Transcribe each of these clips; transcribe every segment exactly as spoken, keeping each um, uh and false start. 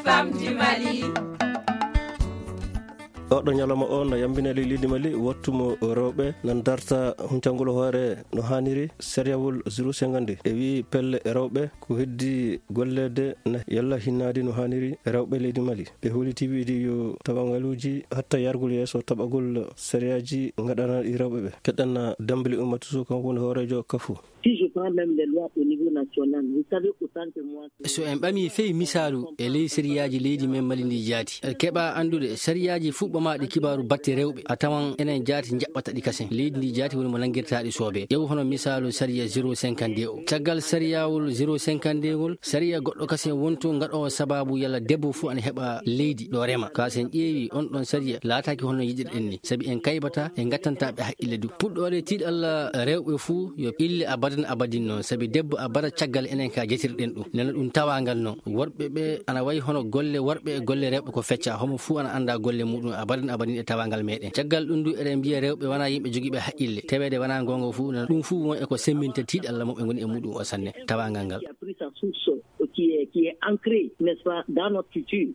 Femmes du Mali. Oɗo ñalawma o na yambina ley leydi Mali, wattu mo rewɓe na darta huncangol hoore no haaniri. Sariyawol zéro cinquante e wii pelle rewɓe ko heddi golleede na yalla hinnaade no haaniri rewɓe leydi Mali. Ɓe hooliti wiide yo tawangaluuji hatta yargol yeeso taɓagol sariyaaji ngaɗanaaɗi rewɓe ɓe. Keɗɗan Dambili Ummatu Sow, kanko woni hooreejo kafu. Si je prends même les lois au niveau national, vous savez autant que moi que... So en ɓami fey misaalu e ley sariyaaji leydi men Mali ndi jaati, keɓa anndude sariyaaji fuɗɓamaaɗi kibaaru batte rewɓe, a tawan enen jaati njaɓɓata ɗi kasen. Leydi ndi jaati woni mo nanngirtaaɗi soobee. Ƴeew hono misaalu sariya zéro cinquante-deux o. Caggal sariyawol zéro cinquante-deux ngol, sariya goɗɗo kasen wonto ngaɗoowo sabaabu yalla debbo fuu ana heɓa leydi ɗo rema. Ka sen ƴeewi on ɗon sariya laataaki hono yiɗirɗen ni, sabi en kaybata, en ngattanta ɓe haqqille du. Puɗɗoore tiiɗalla rewɓe fuu yo ille abadan abadin noon, sabi debbo abada caggal enen ka jetirɗen ɗum. Nana ɗum tawaangal noon. Worɓe ɓe ana wayi hono golle worɓe e golle rewɓe ko fecca, homo fuu ana annda golle muɗum abadan abadin e tawaangal meɗen. Caggal ɗum du eɗen mbiya rewɓe wona yimɓe jogiiɓe haqqille, taweede wona goonga fuu, nana ɗum fuu won e ko semminta tiiɗalla mo ɓe ngoni e muɗum o sanne, tawaangal ngal. Qui a pris sa source, qui est, qui est ancrée, n'est-ce pas, dans notre culture.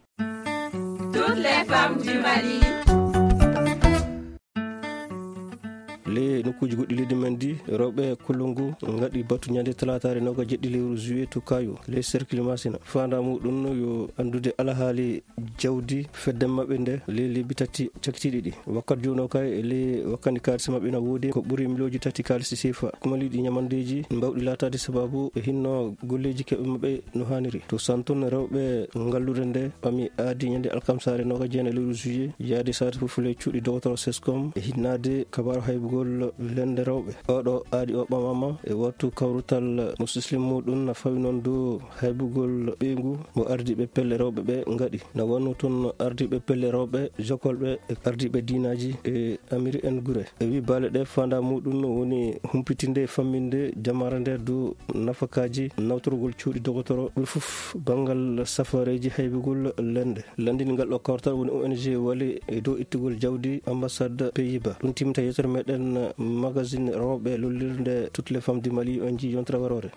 Toutes les femmes du Mali. Ley nokkuuji goɗɗi leydi men ndi, rewɓe Kulungu ngaɗi batu ñande talaataare nooga jeɗɗi lewru juillet to Kayo, ley cercle Masina. Faandaa muɗum yo anndude alhaali jawdi fedde maɓɓe nde ley lebbi tati cakkitiiɗi ɗi. Wakkati jooni o kay, e ley wakkati kaalisi maɓɓe na woodi ko ɓuri miliyonji tati kaalisi seefa. Kumaliiɗi ñamandeeji mbawɗi laataade sabaabu e hinno golleeji keɓe maɓɓe no haaniri. To Santun, rewɓe ngalluure nde ɓami aadi ñande alkamsaare nooga jeenayi lewru juillet, yaade saare fof ley cuuɗi dogotoro Sescom e hinnaade kabaaru haybugol lende rewɓe. Oɗo aadi o ɓamama e wattu kawrutal mo sislim muɗum na fawi noon dow haybugol ɓeyngu mo ardiiɓe pelle rewɓe ɓe ngaɗi. Na wonno toon ardiiɓe pelle rewɓe, jokolɓe e ardiiɓe diinaaji e amiri en gure. E wi baale ɗe faandaa muɗum woni humpitinde e famminde jamaare nde dow nafakaaji nawtorgol cuuɗi dogotoro, ɓuri fof banngal safareeji haybugol lende. Lanndini ngal ɗo kawtal woni O N G Wali e dow ittugol jawdi ambassade Pays-Bas. Ɗum timminta yeewtere meɗen magazine rewɓe lollirde Toutes les femmes du Mali, on njii yontere waroore.